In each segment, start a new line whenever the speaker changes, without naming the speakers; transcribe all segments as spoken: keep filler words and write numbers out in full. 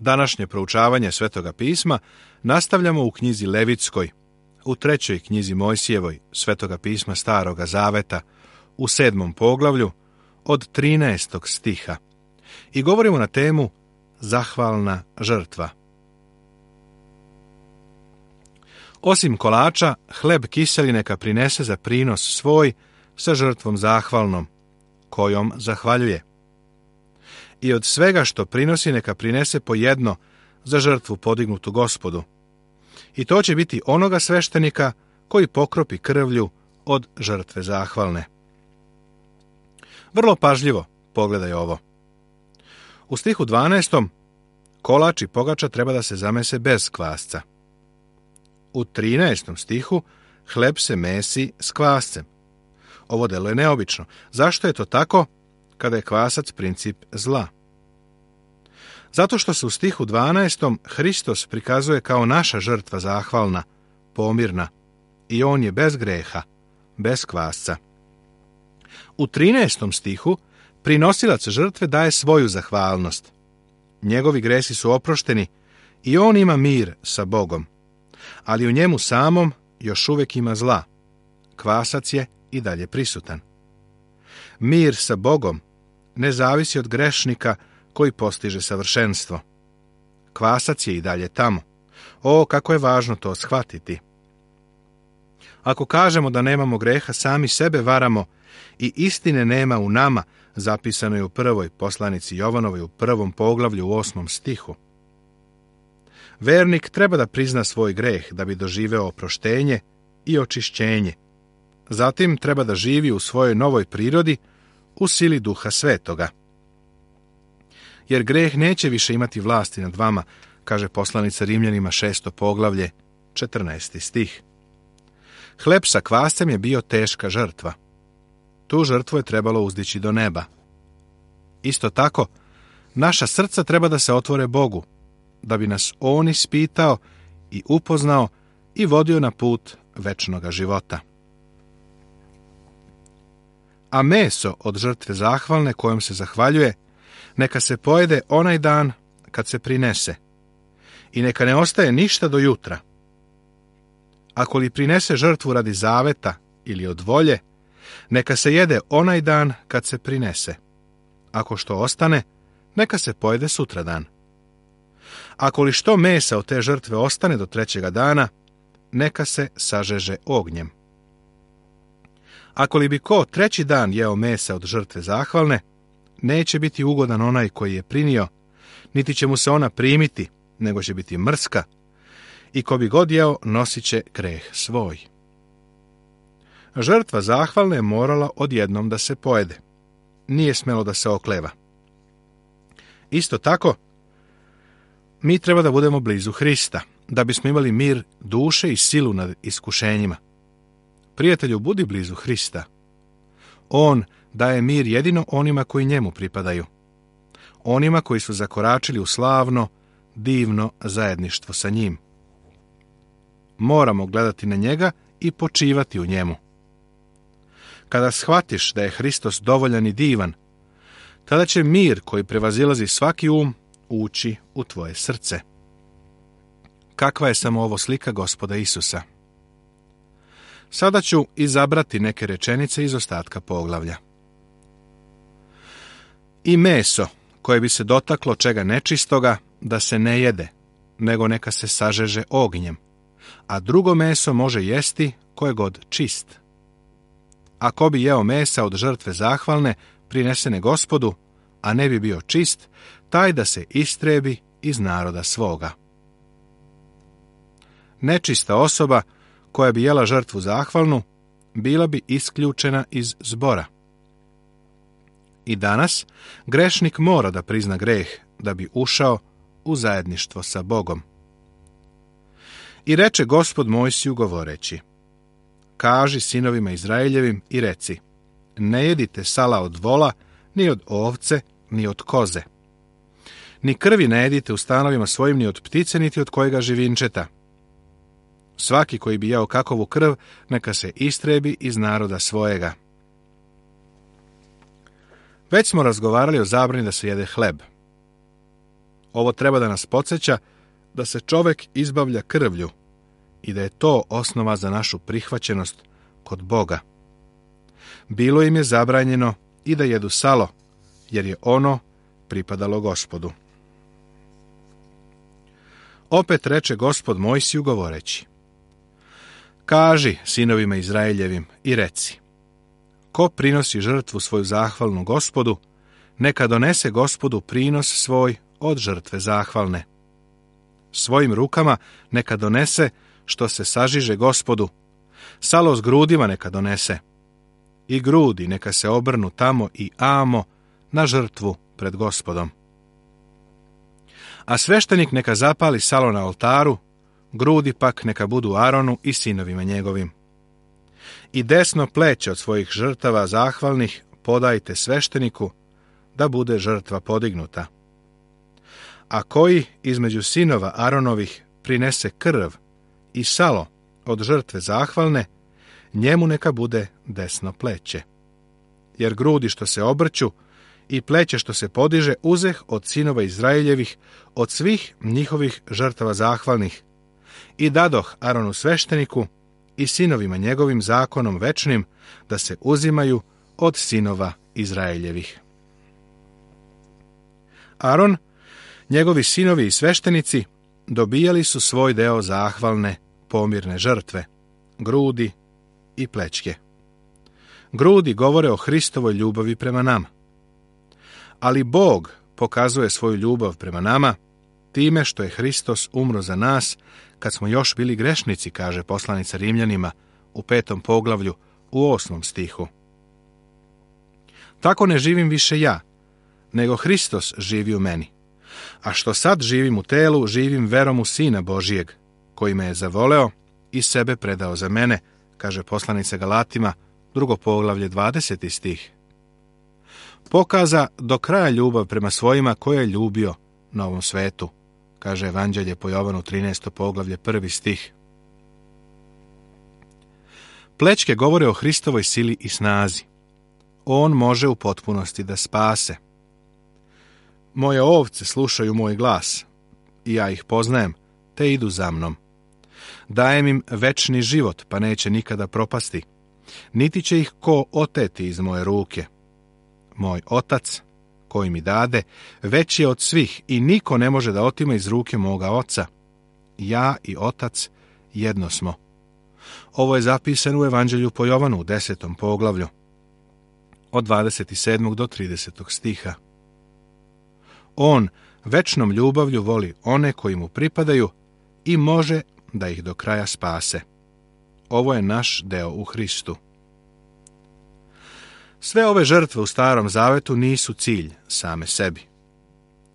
Današnje proučavanje Svetoga pisma nastavljamo u knjizi Levitskoj, u trećoj knjizi Mojsijevoj Svetoga pisma Staroga zaveta, u sedmom poglavlju, od trinaestog stiha. I govorimo na temu zahvalna žrtva. Osim kolača, hleb kiseli neka prinese za prinos svoj sa žrtvom zahvalnom, kojom zahvaljuje. I od svega što prinosi neka prinese po jedno za žrtvu podignutu Gospodu. I to će biti onoga sveštenika koji pokropi krvlju od žrtve zahvalne. Vrlo pažljivo pogledaj ovo. U stihu dvanaestom kolač i pogača treba da se zamese bez kvasca. U trinaestom stihu hleb se mesi s kvascem. Ovo delo je neobično. Zašto je to tako kada je kvasac princip zla? Zato što se u stihu dvanaestom Hristos prikazuje kao naša žrtva zahvalna, pomirna, i on je bez greha, bez kvasca. U trinaestom stihu prinosilac žrtve daje svoju zahvalnost. Njegovi gresi su oprošteni i on ima mir sa Bogom, ali u njemu samom još uvijek ima zla. Kvasac je i dalje prisutan. Mir sa Bogom ne zavisi od grešnika koji postiže savršenstvo. Kvasac je i dalje tamo. O, kako je važno to shvatiti. Ako kažemo da nemamo greha, sami sebe varamo i istine nema u nama, zapisano je u prvoj poslanici Jovanovoj u prvom poglavlju u osmom stihu. Vernik treba da prizna svoj greh da bi doživeo oproštenje i očišćenje. Zatim treba da živi u svojoj novoj prirodi u sili Duha Svetoga. Jer greh neće više imati vlasti nad vama, kaže poslanica Rimljanima šesto poglavlje, četrnaesti stih. Hleb sa kvascem je bio teška žrtva. Tu žrtvu je trebalo uzdići do neba. Isto tako, naša srca treba da se otvore Bogu, da bi nas On ispitao i upoznao i vodio na put večnoga života. A meso od žrtve zahvalne kojom se zahvaljuje, neka se pojede onaj dan kad se prinese i neka ne ostaje ništa do jutra. Ako li prinese žrtvu radi zaveta ili od volje, neka se jede onaj dan kad se prinese. Ako što ostane, neka se pojede sutradan. Ako li što mesa od te žrtve ostane do trećega dana, neka se sažeže ognjem. Ako li bi ko treći dan jeo mesa od žrtve zahvalne, neće biti ugodan onaj koji je prinio, niti će mu se ona primiti, nego će biti mrska, i ko bi god jeo, nosit će greh svoj. Žrtva zahvalne je morala odjednom da se pojede. Nije smelo da se okleva. Isto tako, mi treba da budemo blizu Hrista, da bismo imali mir duše i silu nad iskušenjima. Prijatelju, budi blizu Hrista. On daje mir jedino onima koji njemu pripadaju. Onima koji su zakoračili u slavno, divno zajedništvo sa njim. Moramo gledati na njega i počivati u njemu. Kada shvatiš da je Hristos dovoljan i divan, tada će mir koji prevazilazi svaki um ući u tvoje srce. Kakva je samo ovo slika Gospoda Isusa? Sada ću izabrati neke rečenice iz ostatka poglavlja. I meso koje bi se dotaklo čega nečistoga, da se ne jede, nego neka se sažeže ognjem, a drugo meso može jesti koje god čist. A ko bi jeo mesa od žrtve zahvalne, prinesene Gospodu, a ne bi bio čist, taj da se istrebi iz naroda svoga. Nečista osoba koja bi jela žrtvu zahvalnu, bila bi isključena iz zbora. I danas grešnik mora da prizna greh da bi ušao u zajedništvo sa Bogom. I reče Gospod Mojsiju govoreći: kaži sinovima Izraeljevim i reci: ne jedite sala od vola, ni od ovce, ni od koze. Ni krvi ne jedite u stanovima svojim, ni od ptice, niti od kojega živinčeta. Svaki koji bi jeo kakovu krv, neka se istrebi iz naroda svojega. Već smo razgovarali o zabrani da se jede hleb. Ovo treba da nas podsjeća da se čovek izbavlja krvlju i da je to osnova za našu prihvaćenost kod Boga. Bilo im je zabranjeno i da jedu salo, jer je ono pripadalo Gospodu. Opet reče Gospod Mojsiju govoreći: Kaži sinovima Izraeljevim i reci: ko prinosi žrtvu svoju zahvalnu Gospodu, neka donese Gospodu prinos svoj od žrtve zahvalne. Svojim rukama neka donese što se sažiže Gospodu, salo s grudima neka donese, i grudi neka se obrnu tamo i amo na žrtvu pred Gospodom. A sveštenik neka zapali salo na oltaru, grudi pak neka budu Aronu i sinovima njegovim. I desno pleće od svojih žrtava zahvalnih podajte svešteniku, da bude žrtva podignuta. A koji između sinova Aronovih prinese krv i salo od žrtve zahvalne, njemu neka bude desno pleće. Jer grudi što se obrću i pleće što se podiže uzeh od sinova Izraeljevih, od svih njihovih žrtava zahvalnih, i dadoh Aronu svešteniku i sinovima njegovim zakonom večnim da se uzimaju od sinova Izraeljevih. Aron, njegovi sinovi i sveštenici dobijali su svoj deo zahvalne pomirne žrtve, grudi i plećke. Grudi govore o Hristovoj ljubavi prema nama. Ali Bog pokazuje svoju ljubav prema nama time što je Hristos umro za nas kad smo još bili grešnici, kaže poslanica Rimljanima u petom poglavlju u osmom stihu. Tako ne živim više ja, nego Hristos živi u meni. A što sad živim u telu, živim verom u Sina Božijeg, koji me je zavoleo i sebe predao za mene, kaže poslanica Galatima, drugo poglavlje, dvadeseti stih. Pokaza do kraja ljubav prema svojima koje je ljubio na ovom svetu, kaže Evanđelje po Jovanu, trinaesto poglavlje, prvi stih. Plećke govore o Hristovoj sili i snazi. On može u potpunosti da spase. Moje ovce slušaju moj glas, i ja ih poznajem, te idu za mnom. Dajem im večni život, pa neće nikada propasti, niti će ih ko oteti iz moje ruke. Moj otac, koji mi dade, veći je od svih i niko ne može da otima iz ruke moga oca. Ja i otac jedno smo. Ovo je zapisano u Evanđelju po Jovanu u desetom poglavlju, od dvadeset sedmog do tridesetog stiha. On večnom ljubavlju voli one koji mu pripadaju i može da ih do kraja spase. Ovo je naš deo u Hristu. Sve ove žrtve u Starom Zavetu nisu cilj same sebi.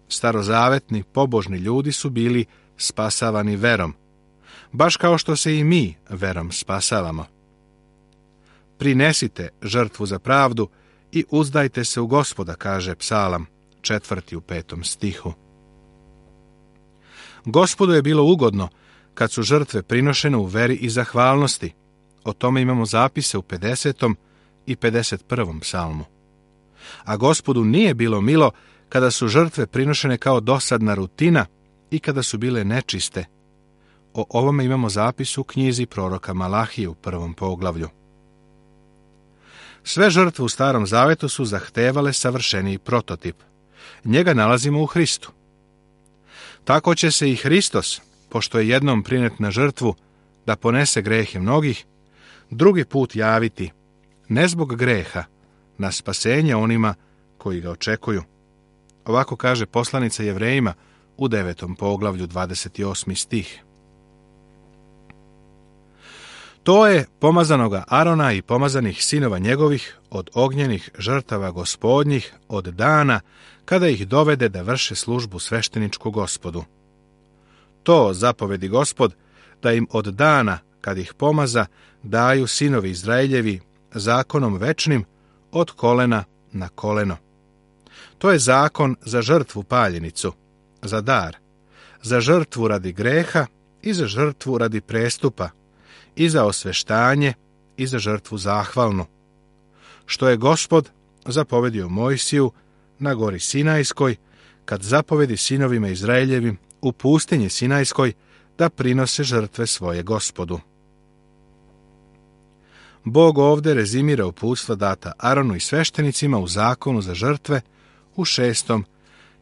Starozavetni, pobožni ljudi su bili spasavani verom, baš kao što se i mi verom spasavamo. Prinesite žrtvu za pravdu i uzdajte se u Gospoda, kaže Psalam, četvrti u petom stihu. Gospodu je bilo ugodno kad su žrtve prinošene u veri i zahvalnosti. O tome imamo zapise u pedesetom i pedeset prvom psalmu. A Gospodu nije bilo milo kada su žrtve prinošene kao dosadna rutina i kada su bile nečiste. O ovome imamo zapis u knjizi proroka Malahije u prvom poglavlju. Sve žrtve u Starom Zavetu su zahtevale savršeniji prototip. Njega nalazimo u Hristu. Tako će se i Hristos, pošto je jednom prinet na žrtvu da ponese grehe mnogih, drugi put javiti, ne zbog greha, na spasenje onima koji ga očekuju. Ovako kaže poslanica Jevrejima u devetom poglavlju, dvadeset osmi stih. To je pomazanoga Arona i pomazanih sinova njegovih od ognjenih žrtava gospodnjih od dana kada ih dovede da vrše službu svešteničku Gospodu. To zapovedi Gospod da im od dana kad ih pomaza daju sinovi Izraeljevi zakonom večnim od kolena na koleno. To je zakon za žrtvu paljenicu, za dar, za žrtvu radi greha i za žrtvu radi prestupa, i za osveštanje i za žrtvu zahvalnu, što je Gospod zapovedio Mojsiju na gori Sinajskoj, kad zapovedi sinovima Izraeljevim u pustinji Sinajskoj da prinose žrtve svoje Gospodu. Bog ovdje rezimira uputstva data Aronu i sveštenicima u zakonu za žrtve u šestom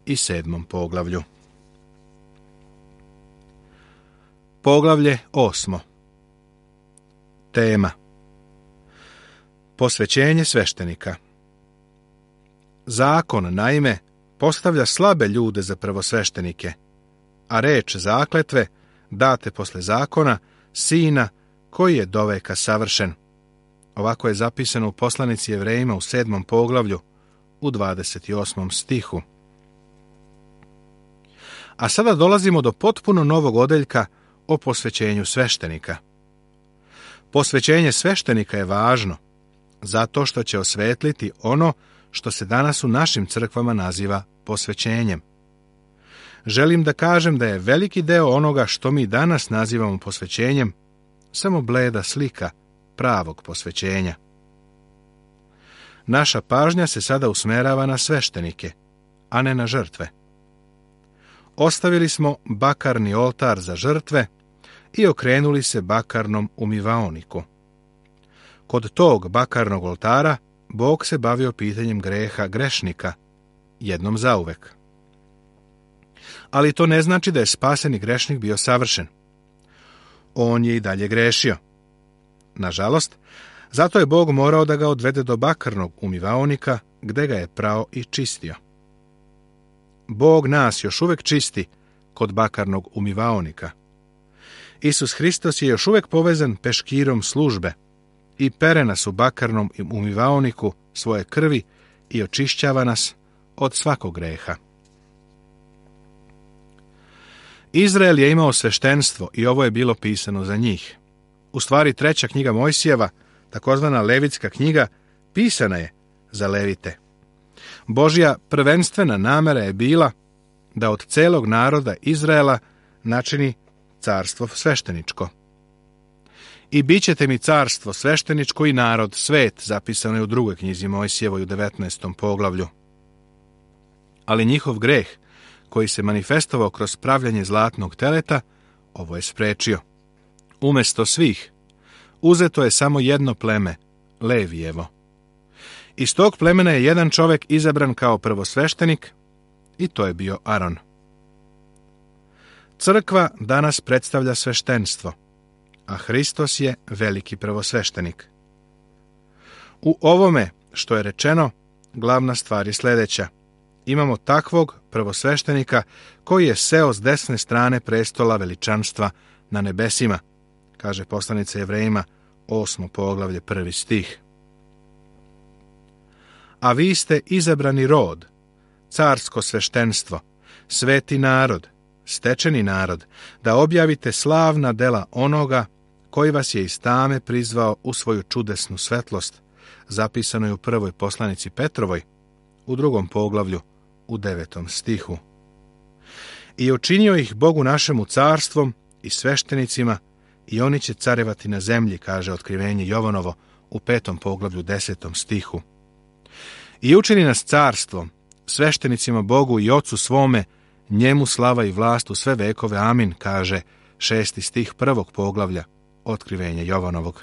i sedmom poglavlju. Poglavlje osmo. Tema: posvećenje sveštenika. Zakon, naime, postavlja slabe ljude za prvosveštenike, a reč zakletve date posle zakona sina koji je doveka savršen. Ovako je zapisano u poslanici Jevrejima u sedmom poglavlju u dvadeset osmom stihu. A sada dolazimo do potpuno novog odeljka o posvećenju sveštenika. Posvećenje sveštenika je važno zato što će osvetliti ono što se danas u našim crkvama naziva posvećenjem. Želim da kažem da je veliki deo onoga što mi danas nazivamo posvećenjem samo bleda slika pravog posvećenja. Naša pažnja se sada usmerava na sveštenike, a ne na žrtve. Ostavili smo bakarni oltar za žrtve i okrenuli se bakarnom umivaoniku. Kod tog bakarnog oltara Bog se bavio pitanjem greha grešnika, jednom zauvek. Ali to ne znači da je spaseni grešnik bio savršen. On je i dalje grešio. Nažalost, zato je Bog morao da ga odvede do bakarnog umivaonika, gde ga je prao i čistio. Bog nas još uvek čisti kod bakarnog umivaonika. Isus Hristos je još uvek povezan peškirom službe i pere nas u bakarnom umivaoniku svoje krvi i očišćava nas od svakog greha. Izrael je imao sveštenstvo i ovo je bilo pisano za njih. U stvari, treća knjiga Mojsijeva, takozvana Levitska knjiga, pisana je za Levite. Božja prvenstvena namera je bila da od celog naroda Izraela načini carstvo svešteničko. I bit ćete mi carstvo svešteničko i narod svet, zapisano je u drugoj knjizi Mojsijevoj u devetnaestom poglavlju. Ali njihov greh, koji se manifestovao kroz pravljanje zlatnog teleta, ovo je sprečio. Umesto svih, uzeto je samo jedno pleme, Levijevo. Iz tog plemena je jedan čovjek izabran kao prvosveštenik i to je bio Aron. Crkva danas predstavlja sveštenstvo, a Hristos je veliki prvosveštenik. U ovome što je rečeno, glavna stvar je sljedeća. Imamo takvog prvosveštenika koji je seo s desne strane prestola veličanstva na nebesima, kaže poslanica Jevrejima, osmo poglavlje, prvi stih. A vi ste izabrani rod, carsko sveštenstvo, sveti narod, stečeni narod, da objavite slavna dela onoga koji vas je iz tame prizvao u svoju čudesnu svetlost, zapisano je u prvoj poslanici Petrovoj, u drugom poglavlju, u devetom stihu. I učinio ih Bogu našemu carstvom i sveštenicima, i oni će carevati na zemlji, kaže Otkrivenje Jovanovo u petom poglavlju, desetom stihu. I učini nas carstvom, sveštenicima Bogu i Ocu svome, njemu slava i vlast u sve vekove, amin, kaže šesti stih prvog poglavlja Otkrivenja Jovanovog.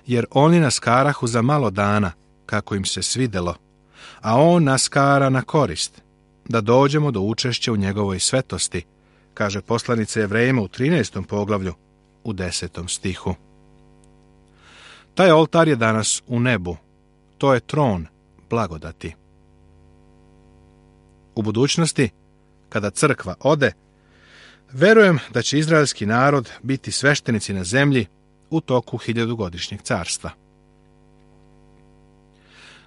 Jer oni nas karahu za malo dana, kako im se svidelo, a on nas kara na korist, da dođemo do učešća u njegovoj svetosti, kaže poslanica Jevrejima u trinaestom poglavlju, u desetom stihu. Taj oltar je danas u nebu, to je tron blagodati. U budućnosti, kada crkva ode, verujem da će izraelski narod biti sveštenici na zemlji u toku hiljadugodišnjeg carstva.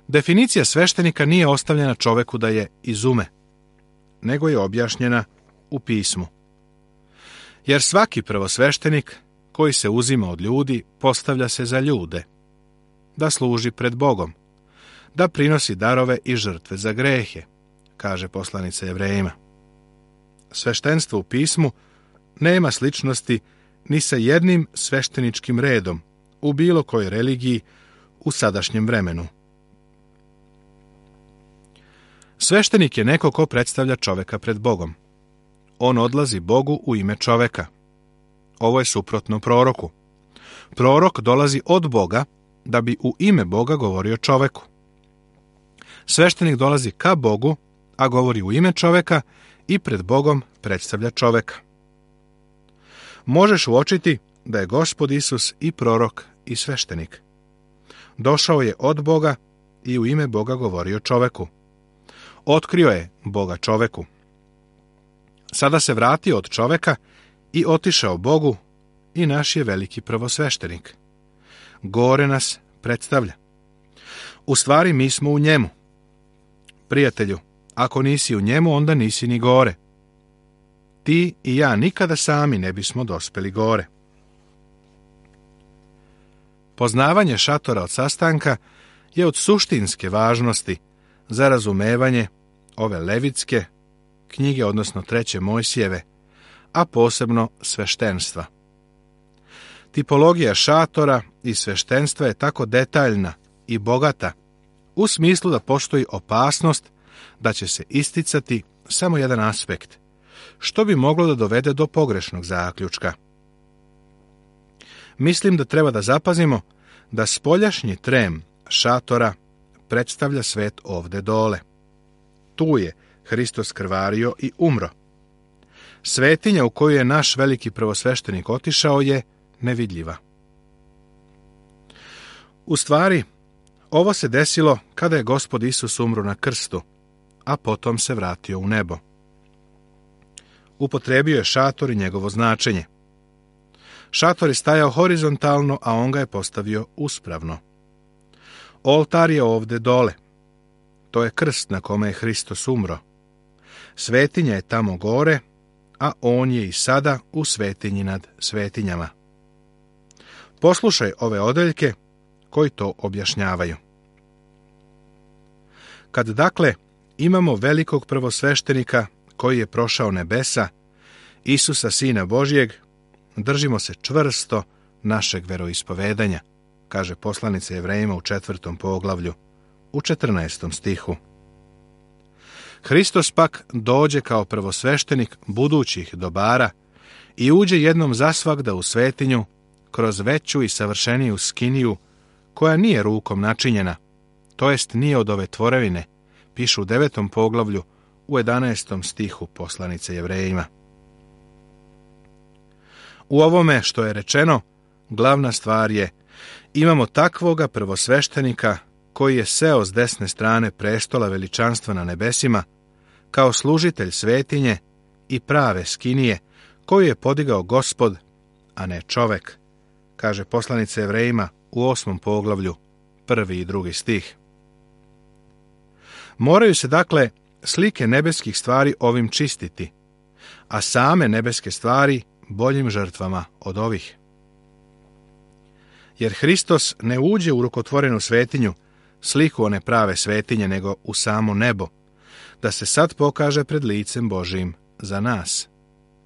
Definicija sveštenika nije ostavljena čoveku da je izume, nego je objašnjena u pismu. Jer svaki prvosveštenik koji se uzima od ljudi postavlja se za ljude, da služi pred Bogom, da prinosi darove i žrtve za grehe, kaže poslanica Jevrejima. Sveštenstvo u pismu nema sličnosti ni sa jednim svešteničkim redom u bilo kojoj religiji u sadašnjem vremenu. Sveštenik je neko ko predstavlja čoveka pred Bogom. On odlazi Bogu u ime čoveka. Ovo je suprotno proroku. Prorok dolazi od Boga da bi u ime Boga govorio čoveku. Sveštenik dolazi ka Bogu, a govori u ime čoveka i pred Bogom predstavlja čoveka. Možeš uočiti da je Gospod Isus i prorok i sveštenik. Došao je od Boga i u ime Boga govorio čoveku. Otkrio je Boga čoveku. Sada se vratio od čoveka i otišao Bogu i naš je veliki prvosveštenik. Gore nas predstavlja. U stvari mi smo u njemu. Prijatelju, ako nisi u njemu, onda nisi ni gore. Ti i ja nikada sami ne bismo dospeli gore. Poznavanje šatora od sastanka je od suštinske važnosti za razumevanje ove levitske knjige, odnosno treće Mojsijeve, a posebno sveštenstva. Tipologija šatora i sveštenstva je tako detaljna i bogata u smislu da postoji opasnost da će se isticati samo jedan aspekt, što bi moglo da dovede do pogrešnog zaključka. Mislim da treba da zapazimo da spoljašnji trem šatora predstavlja svet ovde dole. Tu je Hristos krvario i umro. Svetinja u koju je naš veliki prvosveštenik otišao je nevidljiva. U stvari, ovo se desilo kada je Gospod Isus umro na krstu, a potom se vratio u nebo. Upotrebio je šator i njegovo značenje. Šator je stajao horizontalno, a on ga je postavio uspravno. Oltar je ovde dole. To je krst na kome je Hristos umro. Svetinja je tamo gore, a on je i sada u svetinji nad svetinjama. Poslušaj ove odeljke koji to objašnjavaju. Kad dakle imamo velikog prvosveštenika koji je prošao nebesa, Isusa Sina Božjeg, držimo se čvrsto našeg veroispovedanja, kaže poslanica Jevrejima u četvrtom poglavlju, u četrnaestom stihu. Hristos pak dođe kao prvosveštenik budućih dobara i uđe jednom zasvagda u svetinju kroz veću i savršeniju skiniju, koja nije rukom načinjena, to jest nije od ove tvorevine, piše u devetom poglavlju, u jedanaestom stihu poslanice Jevrejima. U ovome što je rečeno, glavna stvar je, imamo takvoga prvosveštenika koji je seo s desne strane prestola veličanstva na nebesima, kao služitelj svetinje i prave skinije, koju je podigao Gospod, a ne čovek, kaže poslanica Jevrejima u osmom poglavlju, prvi i drugi stih. Moraju se dakle slike nebeskih stvari ovim čistiti, a same nebeske stvari boljim žrtvama od ovih. Jer Hristos ne uđe u rukotvorenu svetinju, sliku one prave svetinje, nego u samo nebo, da se sad pokaže pred licem Božijim za nas,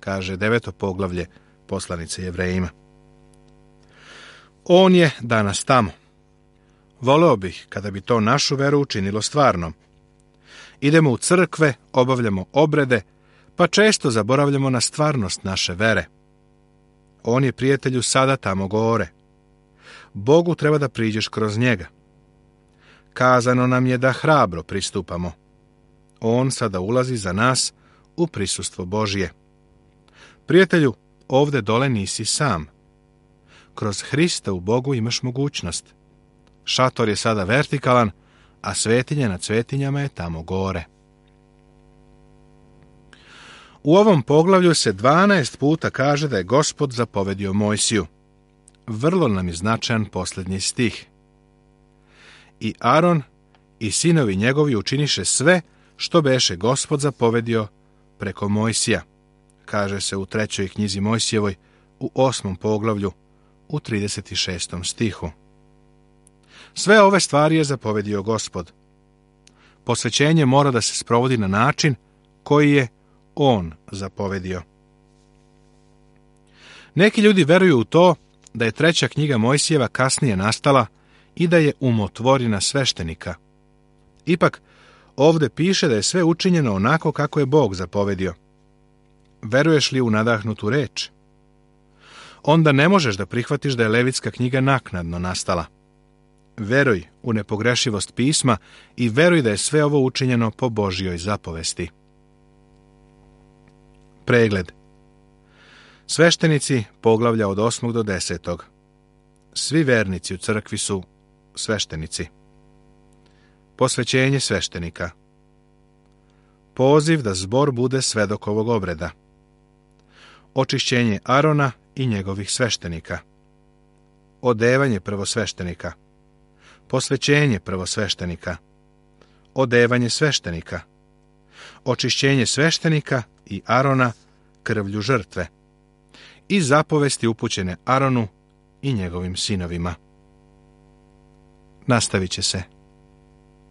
kaže deveto poglavlje poslanice Jevrejima. On je danas tamo. Voleo bih kada bi to našu veru učinilo stvarnom. Idemo u crkve, obavljamo obrede, pa često zaboravljamo na stvarnost naše vere. On je, prijatelju, sada tamo gore. Bogu treba da priđeš kroz njega. Kazano nam je da hrabro pristupamo. On sada ulazi za nas u prisustvo Božije. Prijatelju, ovde dole nisi sam. Kroz Hrista u Bogu imaš mogućnost. Šator je sada vertikalan, a svetinje nad svetinjama je tamo gore. U ovom poglavlju se dvanaest puta kaže da je Gospod zapovedio Mojsiju. Vrlo nam je značajan posljednji stih. I Aron i sinovi njegovi učiniše sve što beše Gospod zapovedio preko Mojsija, kaže se u trećoj knjizi Mojsijevoj u osmom poglavlju u trideset šestom stihu. Sve ove stvari je zapovedio Gospod. Posvećenje mora da se sprovodi na način koji je On zapovedio. Neki ljudi veruju u to da je treća knjiga Mojsijeva kasnije nastala i da je umotvorina sveštenika. Ipak, Ovde piše da je sve učinjeno onako kako je Bog zapovedio. Veruješ li u nadahnutu reč? Onda ne možeš da prihvatiš da je Levitska knjiga naknadno nastala. Veruj u nepogrešivost pisma i veruj da je sve ovo učinjeno po Božjoj zapovesti. Pregled. Sveštenici, poglavlja od osmog do desetog. Svi vernici u crkvi su sveštenici. Posvećenje sveštenika. Poziv da zbor bude svedok ovog obreda. Očišćenje Arona i njegovih sveštenika. Odevanje prvosveštenika. Posvećenje prvosveštenika. Odevanje sveštenika. Očišćenje sveštenika i Arona krvlju žrtve. I zapovesti upućene Aronu i njegovim sinovima. Nastavit će se.